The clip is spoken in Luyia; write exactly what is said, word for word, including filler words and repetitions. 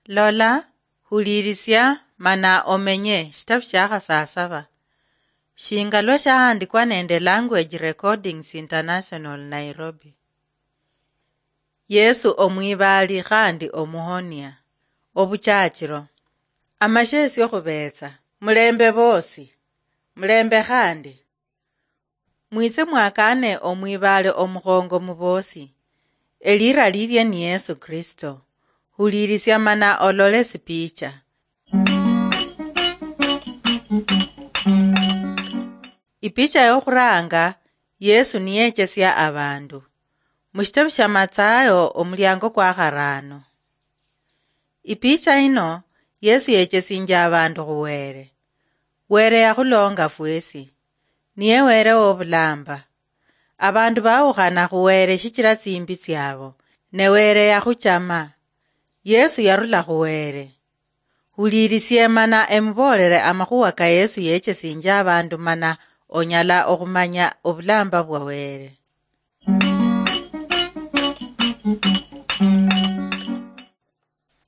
Lola, hulirisia, mana omenye. Shitabu shia khasasaba. Shinga lwa shahandikwa nende Language Recordings International, Nairobi. Yesu omwibaali khandi omuhonia. Obuchachiro. Amashesio khubetsa. Mulembe bosi. Mulembe khandi. Mwitse mwakane omwibaale omukhongo mubosi. Elira lilye ni Yesu Kristo. Hulirisia mana olole sipicha. Ipicha yokhuranga, Yesu niyechesia abandu. Mushitabu sha Matsayo, omuliango kwa kharano. Ipicha ino, Yesu yechesinjia abandu khu Were. Were yakhulonga fwesi. Niye Were wobulamba. Abandu bawukhana khu Were shichira tsimbi tsiabo, ne Were yakhuchama. Yesu yarula khu Were. Hulirisie mana emuboolere amakhuwa ka Yesu yechesinjia abandu mana onyala okhumanya obulamba bwa Were.